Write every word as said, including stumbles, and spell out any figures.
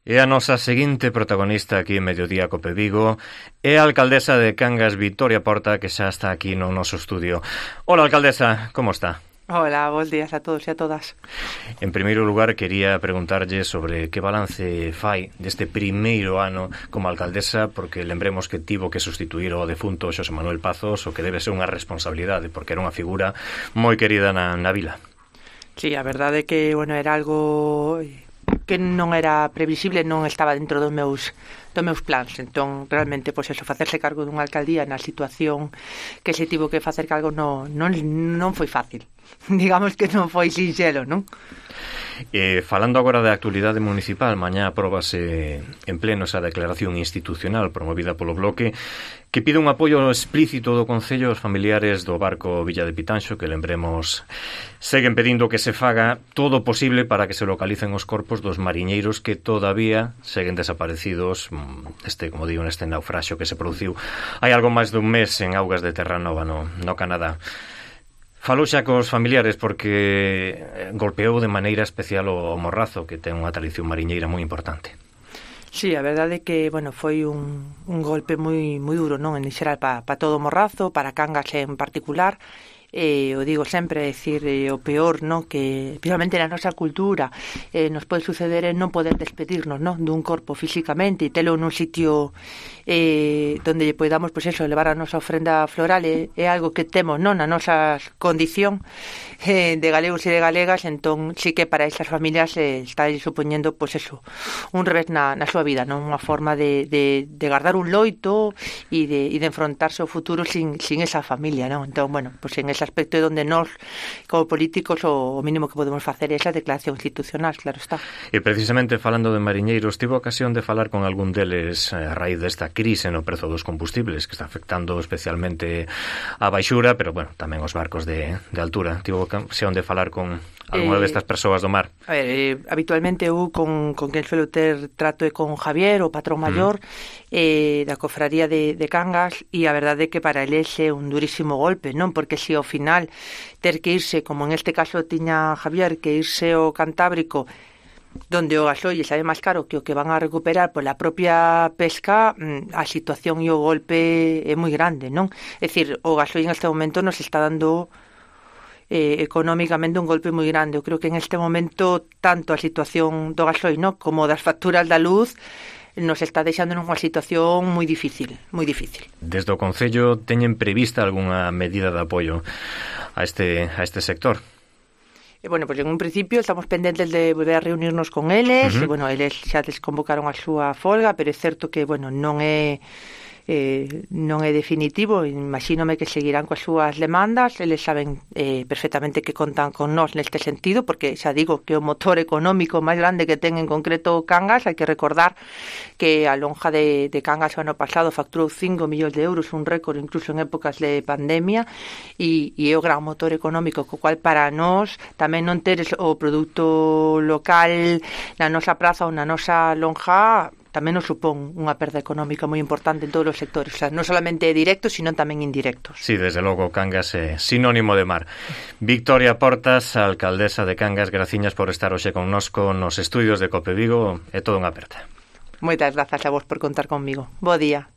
E a nosa seguinte protagonista aquí en Mediodía Cope Vigo é a alcaldesa de Cangas, Victoria Porta, que xa está aquí no noso estudio. Hola, alcaldesa, como está? Hola, bons días a todos e a todas. En primeiro lugar, quería preguntarlle sobre que balance fai deste primeiro ano como alcaldesa, porque lembremos que tivo que sustituir o defunto Xosé Manuel Pazos, o que debe ser unha responsabilidade, porque era unha figura moi querida na, na vila. Sí, a verdade é que, bueno, era algo que non era previsible, non estaba dentro dos meus dos meus plans. Entón, realmente, pois eso, facerse cargo dunha alcaldía na situación que se tivo que facer cargo non, non, non foi fácil. Digamos que non foi sinxelo, non? Eh, falando agora da actualidade municipal, mañá apróbase en pleno esa declaración institucional promovida polo Bloque que pide un apoio explícito do Concello aos familiares do barco Villa de Pitanxo, que lembremos seguen pedindo que se faga todo o posible para que se localicen os corpos dos mariñeiros que todavía seguen desaparecidos este, como digo, neste naufraxio que se produciu hai algo máis dun mes en augas de Terranova, no, no Canadá. Falou xa cos familiares porque golpeou de maneira especial o Morrazo, que ten unha tradición mariñeira moi importante. Sí, a verdade é que, bueno, foi un, un golpe moi moi duro, non, en xeral para pa todo o Morrazo, para Cangas en particular. Eh, o digo sempre, é dicir, eh, o peor, no, que especialmente na nosa cultura eh, nos pode suceder en non poder despedirnos, no, dun corpo físicamente e telo nun sitio eh, donde lle podamos, pois eso, elevar a nosa ofrenda floral é, é algo que temos, non, na nosa condición eh, de galegos e de galegas. Entón sí que para esas familias eh, está supoñendo, pois eso, un revés na, na súa vida, non, unha forma de, de, de guardar un loito e de, e de enfrontarse ao futuro sin, sin esa familia, non. Entón, bueno, pois en ese aspecto é onde nós, como políticos, o, o mínimo que podemos facer é esa declaración institucional, claro está. E precisamente falando de mariñeiros, tivo ocasión de falar con algún deles a raíz desta crise no prezo dos combustibles que está afectando especialmente a baixura, pero bueno, tamén os barcos de, de altura. Tivo ocasión de falar con algunha eh, destas persoas do mar? A ver, eh, habitualmente eu con, con quen suelo ter trato é con Javier, o patrón maior mm. eh, da cofradía de, de Cangas, e a verdade é que para eles é un durísimo golpe, non? Porque se ao final ter que irse, como en este caso tiña Javier, que irse ao Cantábrico, donde o gasoil sabe máis caro que o que van a recuperar pola propia pesca, a situación e o golpe é moi grande, non? É dicir, o gasoil en este momento nos está dando eh, económicamente un golpe moi grande. Eu creo que en este momento tanto a situación do gasoil, non, como das facturas da luz nos está deixando nunha situación moi difícil, moi difícil. Desde o Concello teñen prevista algunha medida de apoio a este a este sector? E, bueno, pois pues en un principio estamos pendentes de volver a reunirnos con eles, uh-huh. e, bueno, eles xa desconvocaron a súa folga, pero é certo que, bueno, non é eh, non é definitivo. Imagínome que seguirán coas súas demandas. Eles saben eh, perfectamente que contan con nós neste sentido, porque xa digo que o motor económico máis grande que ten en concreto Cangas, hai que recordar que a lonja de, de Cangas o ano pasado facturou cinco millóns de euros, un récord incluso en épocas de pandemia, e, e é o gran motor económico, co cual para nós tamén non ter o produto local na nosa praza ou na nosa lonja tamén nos supón unha perda económica moi importante en todos os sectores, o sea, non solamente directos, sino tamén indirectos. Sí, desde logo, Cangas é sinónimo de mar. Victoria Portas, alcaldesa de Cangas, graciñas por estar hoxe connosco nos estudios de Cope Vigo, é todo unha aperta. Moitas grazas a vos por contar conmigo. Bo día.